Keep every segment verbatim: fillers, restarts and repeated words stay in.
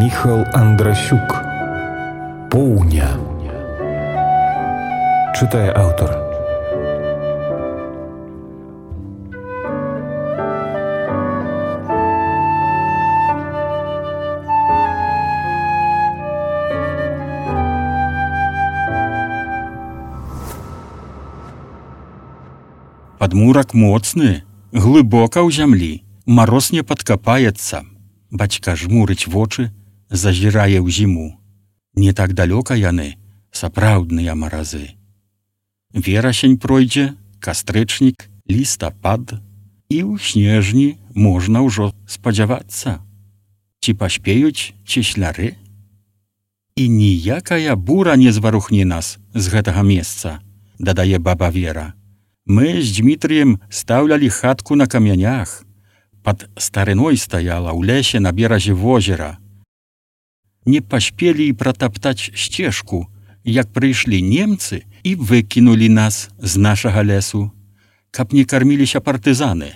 Міхал Андрасюк. Поўня. Чытае аўтар. Падмурак моцны, глыбока ў зямлі, мароз не падкапаецца. Бацька жмурыць вочы, зазірае ў зіму. Не так далёка яны, сапраўдныя маразы. Верасень пройдзе, кастрычнік, лістапад, і ў снежні можна ўжо спадзявацца. Ці паспеюць чесляры? І ніякая бура не зварухне нас з гэтага месца, дадае баба Вера. Мы з Дмітрыем стаўлялі хатку на камянях. Пад старыной стаяла ў лесе на беразе возера. Не паспелі і пратаптаць сцежку, як прыйшлі немцы і выкінулі нас з нашага лесу, каб не карміліся партызаны.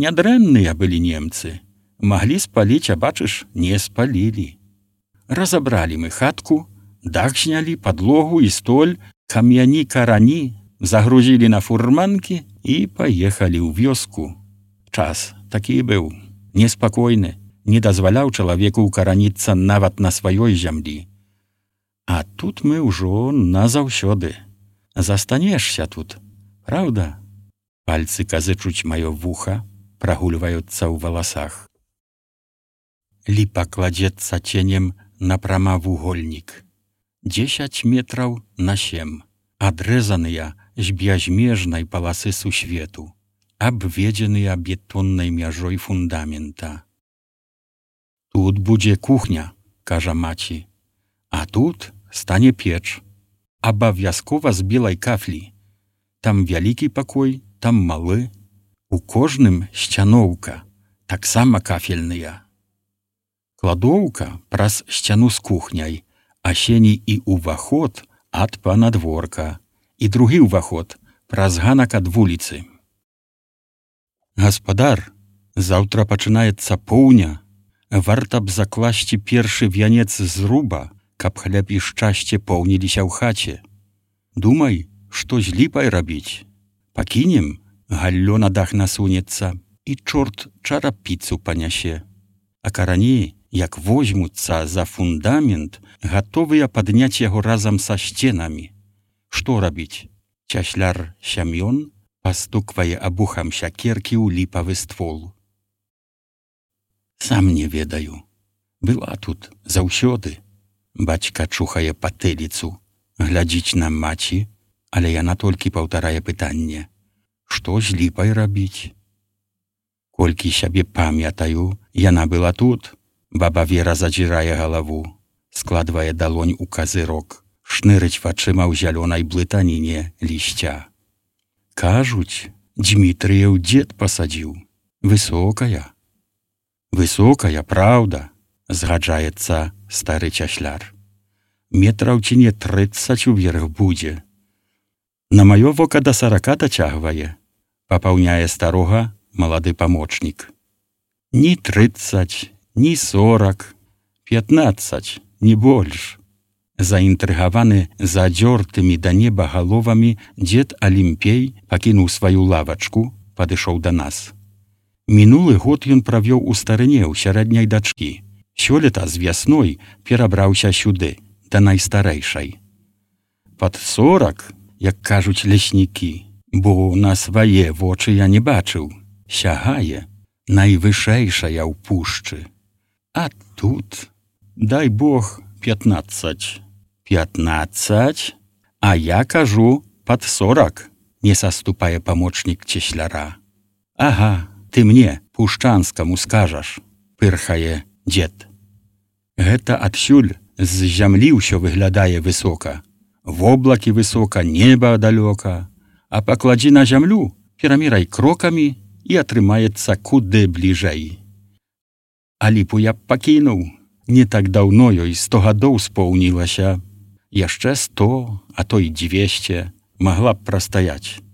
Нядрэнныя былі немцы. Маглі спаліць, а бачыш, не спалілі. Разабралі мы хатку, дах знялі, падлогу і столь, камяні, карані, загрузілі на фурманкі і паехалі ў вёску. Час такі быў, неспакойны, не дазваляў чалавеку ўкараніцца нават на сваёй зямлі. А тут мы ўжо назаўсёды. Застанешся тут, праўда? Пальцы казычуць маё вуха, прагульваюцца ў валасах. Ліпа кладзецца ценем на прамавугольнік. Дзесяць метраў на сем, адрэзаныя з бязмежнай паласы сусвету, абведзеныя бетоннай мяжой фундамента. Тут будзе кухня, кажа маці, а тут стане печ, абавязкова з белай кафлі. Там вялікі пакой, там малы, у кожным сцяноўка, таксама кафельная. Кладоўка праз сцяну з кухняй, а сені і ўваход ад панадворка, і другі ўваход праз ганак ад вуліцы. Гаспадар, заўтра пачынаецца поўня, варта б закласці першы вянец зруба, каб хлеб і шчасце поўніліся ў хаце. Думай, што з ліпай рабіць. Пакінем, галлё на дах насунецца, і чорт чарапіцу панясе. А карані, як возьмуцца за фундамент, гатовыя падняць яго разам са сценамі. Што рабіць? Цясляр Сямён пастуквае абухам сякеркі ў ліпавы ствол. Сам не ведаю. Была тут заўсёды. Бацька чухае патыліцу, глядзіць на маці, але яна толькі паўтарае пытанне. Што з ліпай рабіць? Колькі сябе памятаю, яна была тут. Баба Вера задзірае галаву, складвае далонь у казырок, шнырыць вачыма ў зялёнай блытаніне лісця. Кажуць, Дмітрыеў дзед пасадзіў. Высокая. Высокая, праўда, згаджаецца стары цясляр. Метраў ці не трыццаць уверх будзе. На маё вока да сарака дацягвае, папаўняе старога малады памочнік. Ні трыццаць, ні сорак, пятнаццаць, не больш. Заінтрыгаваны задзёртымі да неба галовамі дзед Алімпей пакінуў сваю лавачку, падышоў да нас. Мінулы год ён правёў у старыне ў сярэдняй дачкі. Сёлета з вясной перабраўся сюды, да найстарэйшай. Пад сорак, як кажуць леснікі, бо на свае вочы я не бачыў, сягае, найвышэйшая ў пушчы. А тут, дай Бог, пятнаццаць. Пятнаццаць? А я кажу, пад сорак, не саступае памочнік цесляра. Ага, ты мне, пушчанскаму, скажаш, пырхае дзед. Гэта адсюль з зямлі ўсё выглядае высока. Воблакі высока, неба далёка. А пакладзі на зямлю, перамірай крокамі і атрымаецца куды бліжэй. А ліпу я б пакінуў. Не так даўно ёй сто гадоў споўнілася. Яшчэ сто, а то і дзвесце магла б прастаяць.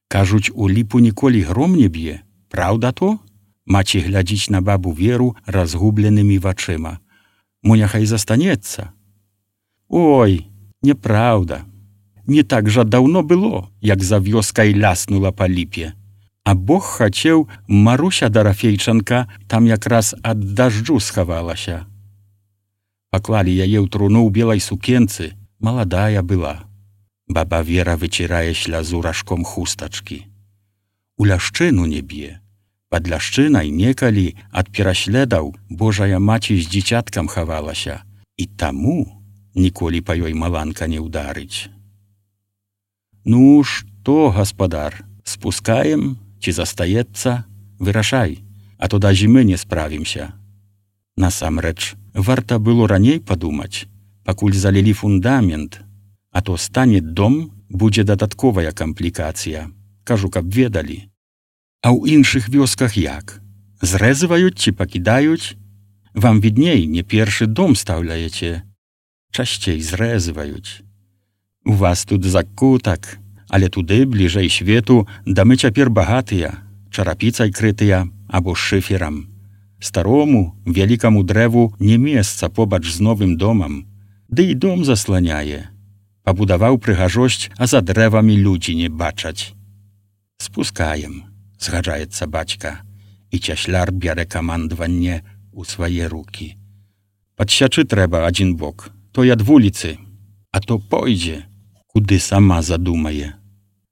Кажуць, у ліпу ніколі гром не б'е. Праўда то? Маці глядзіць на бабу Веру разгубленымі вачыма. Мо няхай застанецца. Ой, неправда. Не так жа даўно было, як за вёскай ляснула па ліпе. А Бог хацеў, Маруся Дарафейчанка там якраз ад дажджу схавалася. Паклалі яе ў труну ў белай сукенцы, маладая была. Баба Вера выцірае слязу ражком хустачкі. У ляшчыну не б'е. Пад ляшчынай некалі ад пераследаў Божая маці з дзіцяткам хавалася, і таму ніколі па ёй маланка не ўдарыць. Ну, што, гаспадар, спускаем, ці застаецца? Вырашай, а то да зімы не справімся. Насамрэч, варта было раней падумаць, пакуль залілі фундамент, а то стане дом, будзе дадатковая камплікацыя. Кажу, каб ведалі. А ў іншых вёсках як? Зрэзываюць ці пакідаюць? Вам відней, не першы дом стаўляеце. Часцей зрэзываюць. У вас тут закутак, але туды, бліжэй свету, дамы цяпер багатыя, чарапіцай крытыя або шыферам. Старому, вялікаму дрэву не месца побач з новым домам, ды і дом засланяе. Пабудаваў прыгажосць, а за дрэвамі людзі не бачаць. Спускаем. Згаджаецца бацька, і цясляр бярэ камандаванне ў свае рукі. Падсячы трэба адзін бок, той ад вуліцы, а то пойдзе, куды сама задумае.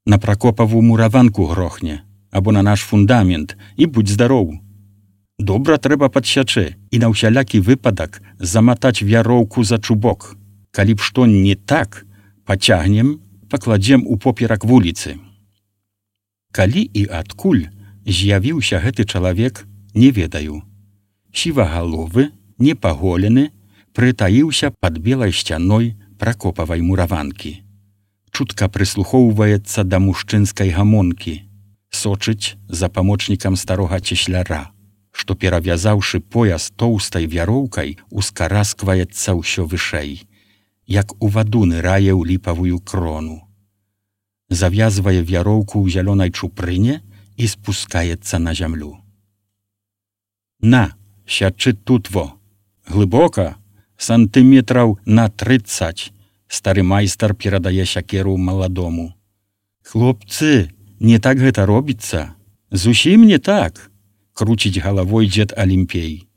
На Пракопаву мураванку грохне, або на наш фундамент, і будь здароў. Добра трэба падсячы і на ўсялякі выпадак заматаць вяроўку за чубок. Калі б што не так, пацягнем, пакладзем у поперак вуліцы. Калі і адкуль з'явіўся гэты чалавек, не ведаю. Сівагаловы, непаголены, прытаіўся пад белай сцяной Пракопавай мураванкі. Чутка прыслухоўваецца да мужчынскай гамонкі, сочыць за памочнікам старога цесляра, што, перавязаўшы пояс тоўстай вяроўкай, ускараскваецца ўсё вышэй, як у ваду нырае ў ліпавую крону. Завязвае вяроўку ў зялёнай чупрыне і спускаецца на зямлю. На, сядчы тут во. Глыбока, сантыметраў на трыццаць. Стары майстар перадае сякеру маладому. Хлопцы, не так гэта робіцца. Зусім не так, круціць галавой дзед Алімпей.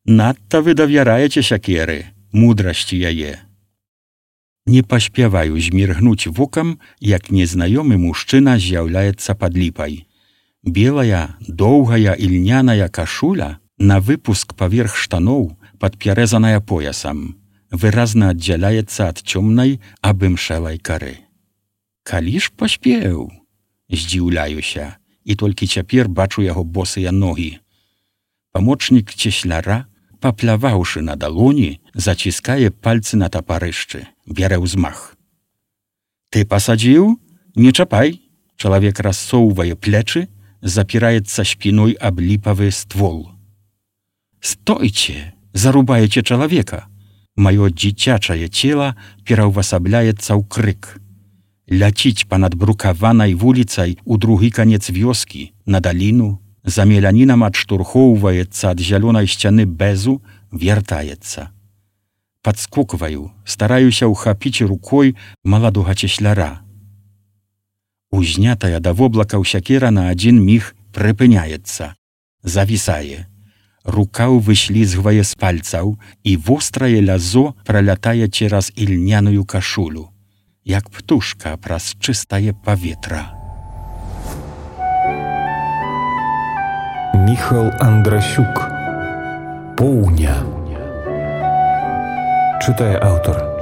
Надта вы давяраеце сякеры, мудрасці яе. Не паспяваю зміргнуць вокам, як незнаёмы мужчына з'яўляецца пад ліпай. Белая, доўгая ільняная кашуля на выпуск паверх штаноў, падпярэзаная поясам, выразна аддзяляецца ад цёмнай абымшэлай кары. Калі ж паспеў? Здзіўляюся, і толькі цяпер бачу яго босыя ногі. Памочнік цесляра, папляваўшы на далоні, заціскае пальцы на тапарышчы, бярэ ўзмах. Ты пасадзіў? Не чапай. Чалавек рассоўвае плечы, запіраецца спіной аб ліпавы ствол. Стойце, зарубаеце чалавека. Маё дзіцячае цела пераўвасабляецца ў крык. Ляціць панад брукаванай вуліцай у другі канец вёскі, на даліну, за мелянінам адштурхоўваецца ад зялёнай сцяны бэзу, вяртаецца. Падскокваю, стараюся ўхапіць рукой маладога цесляра. Узнятая да воблакаў сякера на адзін міг прыпыняецца, завісае. Рука выслізгвае з пальцаў, і вострае лязо пралятае цераз ільняную кашулю, як птушка праз чыстае паветра. Міхал Андрасюк. Поўня. Чытае аўтар.